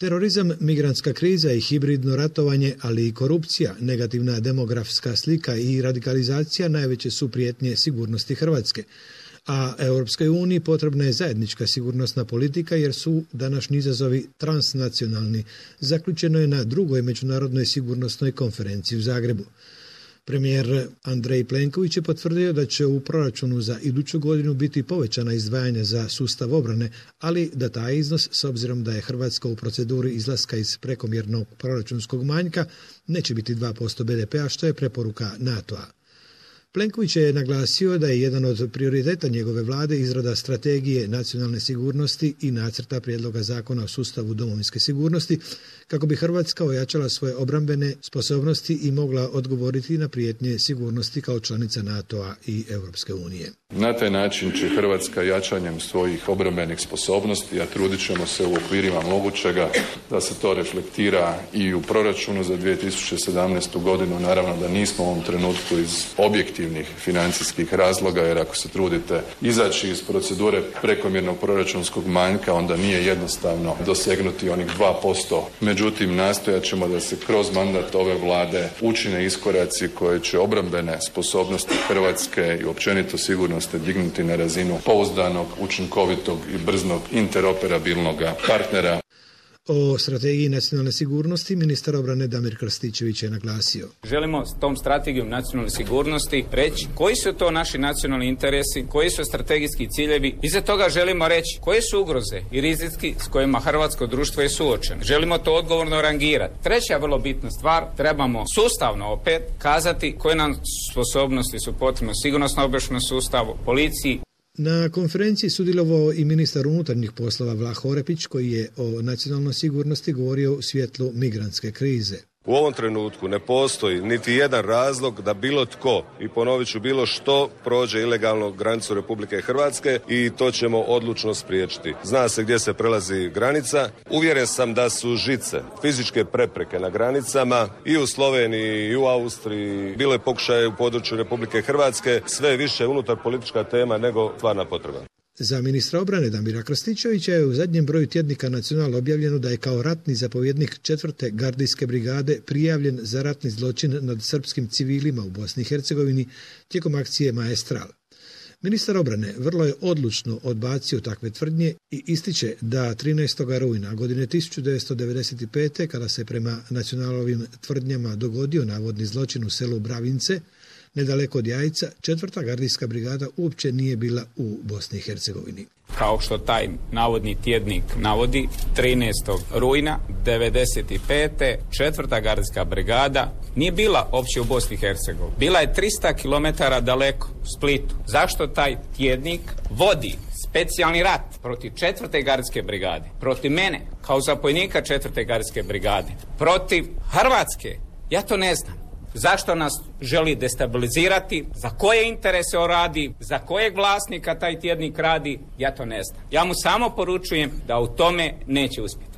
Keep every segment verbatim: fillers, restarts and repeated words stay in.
Terorizam, migrantska kriza i hibridno ratovanje, ali i korupcija, negativna demografska slika i radikalizacija najveće su prijetnje sigurnosti Hrvatske. A Europskoj uniji potrebna je zajednička sigurnosna politika jer su današnji izazovi transnacionalni, zaključeno je na drugoj međunarodnoj sigurnosnoj konferenciji u Zagrebu. Premijer Andrej Plenković je potvrdio da će u proračunu za iduću godinu biti povećana izdvajanja za sustav obrane, ali da taj iznos, s obzirom da je Hrvatska u proceduri izlaska iz prekomjernog proračunskog manjka, neće biti dva posto be de pea, što je preporuka NATO-a. Plenković je naglasio da je jedan od prioriteta njegove vlade izrada strategije nacionalne sigurnosti i nacrta prijedloga zakona o sustavu domovinske sigurnosti kako bi Hrvatska ojačala svoje obrambene sposobnosti i mogla odgovoriti na prijetnje sigurnosti kao članica NATO-a i Europske unije. Na taj način će Hrvatska jačanjem svojih obrambenih sposobnosti, a trudit ćemo se u okvirima mogućega da se to reflektira i u proračunu za dvije tisuće sedamnaestu godinu. Naravno da nismo u ovom trenutku iz objektivnih financijskih razloga, jer ako se trudite izaći iz procedure prekomjernog proračunskog manjka, onda nije jednostavno dosegnuti onih dva posto. Međutim, nastojat ćemo da se kroz mandat ove vlade učine iskoraci koje će obrambene sposobnosti Hrvatske i općenito sigurnosti dignuti na razinu pouzdanog, učinkovitog i brznog interoperabilnog partnera. O strategiji nacionalne sigurnosti ministar obrane Damir Krstičević je naglasio. Želimo s tom strategijom nacionalne sigurnosti reći koji su to naši nacionalni interesi, koji su strategijski ciljevi. Iza toga želimo reći koje su ugroze i rizici s kojima hrvatsko društvo je suočeno. Želimo to odgovorno rangirati. Treća vrlo bitna stvar, trebamo sustavno opet kazati koje nam sposobnosti su potrebne sigurnosno-obavještajnom sustavu, policiji. Na konferenciji sudjelovao i ministar unutarnjih poslova Vlaho Orepić, koji je o nacionalnoj sigurnosti govorio u svjetlu migrantske krize. U ovom trenutku ne postoji niti jedan razlog da bilo tko, i ponovit ću, bilo što prođe ilegalno granicu Republike Hrvatske i to ćemo odlučno spriječiti. Zna se gdje se prelazi granica. Uvjeren sam da su žice, fizičke prepreke na granicama i u Sloveniji i u Austriji. Bilo je pokušaje u području Republike Hrvatske, sve više unutar politička tema nego stvarna potreba. Za ministra obrane Damira Krstičevića je u zadnjem broju tjednika Nacional objavljeno da je kao ratni zapovjednik četvrte gardijske brigade prijavljen za ratni zločin nad srpskim civilima u Bosni i Hercegovini tijekom akcije Maestral. Ministar obrane vrlo je odlučno odbacio takve tvrdnje i ističe da trinaestog rujna godine tisuću devetsto devedeset pete. kada se prema Nacionalovim tvrdnjama dogodio navodni zločin u selu Bravince, nedaleko od Jajca, četvrta gardijska brigada uopće nije bila u Bosni i Hercegovini. Kao što taj navodni tjednik navodi, trinaestog rujna devedeset pete. četvrta gardijska brigada nije bila uopće u Bosni i Hercegovini. Bila je tristo kilometara daleko, u Splitu. Zašto taj tjednik vodi specijalni rat protiv četvrte gardijske brigade, protiv mene kao zapovjednika četvrte gardijske brigade, protiv Hrvatske? Ja to ne znam. Zašto nas želi destabilizirati, za koje interese on radi, za kojeg vlasnika taj tjednik radi, ja to ne znam. Ja mu samo poručujem da u tome neće uspjeti.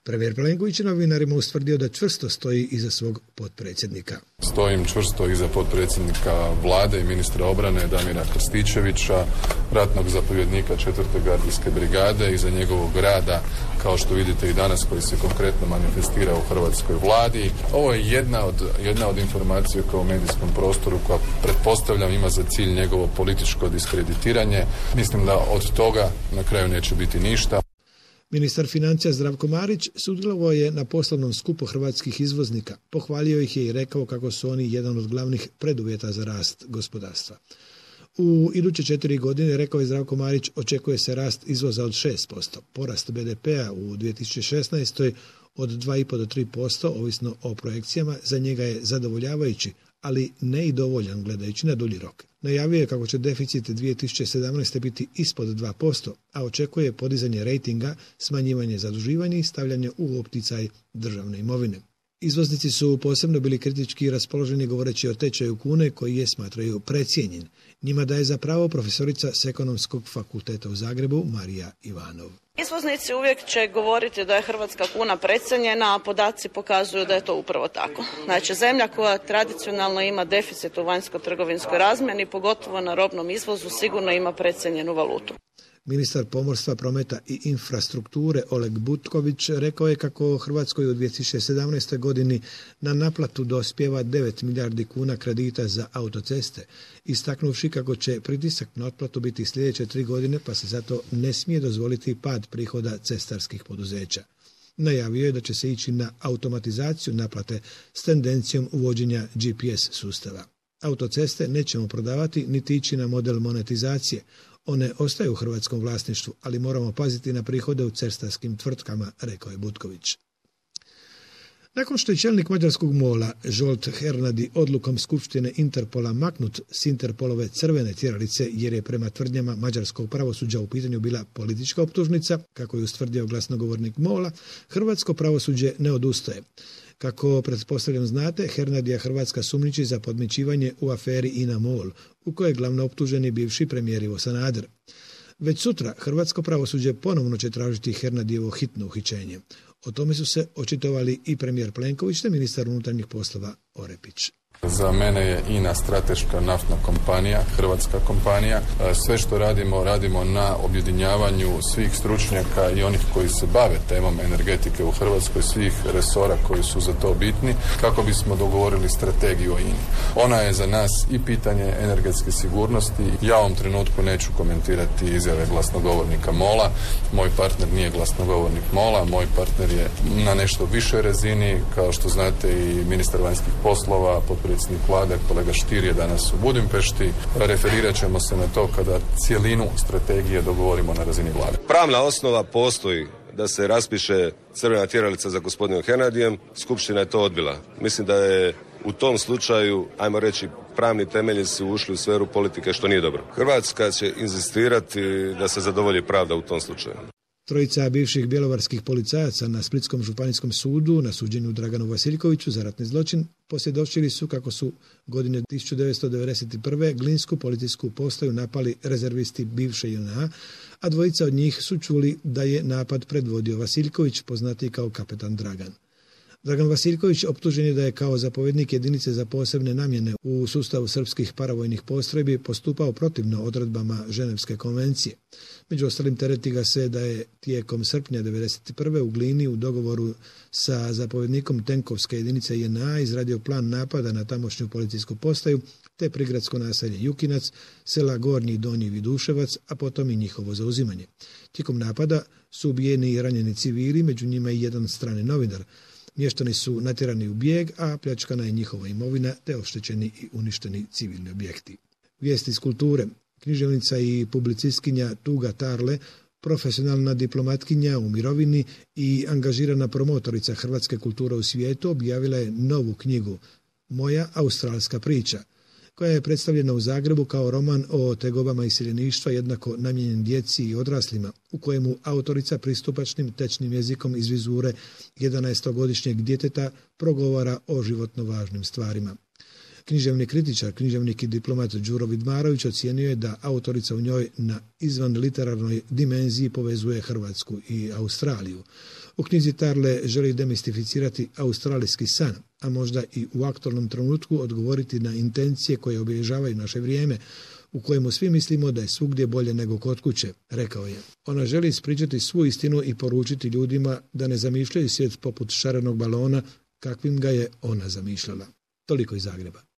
Premijer Plenković je novinarima ustvrdio da čvrsto stoji iza svog potpredsjednika. Stojim čvrsto iza potpredsjednika vlade i ministra obrane Damira Krstičevića, ratnog zapovjednika četvrte gardijske brigade, iza njegovog rada, kao što vidite i danas, koji se konkretno manifestira u hrvatskoj vladi. Ovo je jedna od, jedna od informacija kao u medijskom prostoru koja, pretpostavljam, ima za cilj njegovo političko diskreditiranje. Mislim da od toga na kraju neće biti ništa. Ministar financija Zdravko Marić sudjelovao je na poslovnom skupu hrvatskih izvoznika. Pohvalio ih je i rekao kako su oni jedan od glavnih preduvjeta za rast gospodarstva. U iduće četiri godine, rekao je Zdravko Marić, očekuje se rast izvoza od šest posto. Porast be de pea u dvije tisuće šesnaestoj od dva i pol do tri posto, ovisno o projekcijama, za njega je zadovoljavajući, ali ne i dovoljan gledajući na dulji rok. Najavio je kako će deficit dvije tisuće sedamnaeste. biti ispod dva posto, a očekuje podizanje rejtinga, smanjivanje zaduživanja i stavljanje u opticaj državne imovine. Izvoznici su posebno bili kritički raspoloženi govoreći o tečaju kune koji je smatraju precijenjen. Njima daje za pravo profesorica s Ekonomskog fakulteta u Zagrebu Marija Ivanov. Izvoznici uvijek će govoriti da je hrvatska kuna precijenjena, a podaci pokazuju da je to upravo tako. Znači, zemlja koja tradicionalno ima deficit u vanjsko-trgovinskoj razmjeni, pogotovo na robnom izvozu, sigurno ima precijenjenu valutu. Ministar pomorstva, prometa i infrastrukture Oleg Butković rekao je kako Hrvatskoj u dvije tisuće sedamnaestoj godini na naplatu dospijeva devet milijardi kuna kredita za autoceste, istaknuvši kako će pritisak na otplatu biti sljedeće tri godine pa se zato ne smije dozvoliti pad prihoda cestarskih poduzeća. Najavio je da će se ići na automatizaciju naplate s tendencijom uvođenja G P S sustava. Autoceste nećemo prodavati niti ići na model monetizacije. One ostaju u hrvatskom vlasništvu, ali moramo paziti na prihode u cestarskim tvrtkama, rekao je Butković. Nakon što je čelnik mađarskog mola Zsolt Hernadi odlukom Skupštine Interpola maknut s Interpolove crvene tjeralice jer je prema tvrdnjama mađarskog pravosuđa u pitanju bila politička optužnica, kako je ustvrdio glasnogovornik mola, hrvatsko pravosuđe ne odustaje. Kako pretpostavljam znate, Hernadija Hrvatska sumnjiči za podmićivanje u aferi INA MOL, u kojoj je glavno optuženi bivši premijer Ivo Sanader. Već sutra hrvatsko pravosuđe ponovno će tražiti Hernadijevo hitno uhićenje. O tome su se očitovali i premijer Plenković te ministar unutarnjih poslova Orepić. Za mene je I N A strateška naftna kompanija, hrvatska kompanija. Sve što radimo, radimo na objedinjavanju svih stručnjaka i onih koji se bave temom energetike u Hrvatskoj, svih resora koji su za to bitni, kako bismo dogovorili strategiju o I N A. Ona je za nas i pitanje energetske sigurnosti. Ja u ovom trenutku neću komentirati izjave glasnogovornika mola. Moj partner nije glasnogovornik mola, moj partner je na nešto višoj razini, kao što znate i ministar vanjskih poslova, predsjednik vlade, kolega Stier je danas u Budimpešti. Referirat ćemo se na to kada cijelinu strategije dogovorimo na razini vlade. Pravna osnova postoji da se raspiše crvena tjeralica za gospodinom Hernadijem. Skupština je to odbila. Mislim da je u tom slučaju, ajmo reći, pravni temelji su ušli u sferu politike, što nije dobro. Hrvatska će inzistirati da se zadovolji pravda u tom slučaju. Trojica bivših bjelovarskih policajaca na Splitskom županijskom sudu na suđenju Draganu Vasiljkoviću za ratni zločin posvjedočili su kako su godine tisuću devetsto devedeset prve Glinsku policijsku postaju napali rezervisti bivše J N A, a dvojica od njih su čuli da je napad predvodio Vasiljković, poznati kao kapetan Dragan. Dragan Vasiljković optužen je da je kao zapovjednik jedinice za posebne namjene u sustavu srpskih paravojnih postrojbi postupao protivno odredbama Ženevske konvencije. Među ostalim tereti ga se da je tijekom srpnja devedeset prve u Glini u dogovoru sa zapovjednikom tenkovske jedinice J N A izradio plan napada na tamošnju policijsku postaju te prigradsko naselje Jukinac, sela Gornji i Donji Viduševac, a potom i njihovo zauzimanje. Tijekom napada su ubijeni i ranjeni civili, među njima i jedan strani novinar. Mještani su natjerani u bijeg, a pljačkana je njihova imovina te oštećeni i uništeni civilni objekti. Vijesti iz kulture. Književnica i publicistkinja Tuga Tarle, profesionalna diplomatkinja u mirovini i angažirana promotorica hrvatske kulture u svijetu, objavila je novu knjigu Moja australska priča, koja je predstavljena u Zagrebu kao roman o tegobama iseljeništva jednako namijenjen djeci i odraslima, u kojemu autorica pristupačnim tečnim jezikom iz vizure jedanaestogodišnjeg djeteta progovara o životno važnim stvarima. Književni kritičar, književnik i diplomat Đuro Vidmarović ocijenio je da autorica u njoj na izvan literarnoj dimenziji povezuje Hrvatsku i Australiju. U knjizi Tarle želi demistificirati australijski san, a možda i u aktualnom trenutku odgovoriti na intencije koje obilježavaju naše vrijeme, u kojemu svi mislimo da je svugdje bolje nego kod kuće, rekao je. Ona želi ispričati svu istinu i poručiti ljudima da ne zamišljaju svijet poput šarenog balona kakvim ga je ona zamišljala. Toliko iz Zagreba.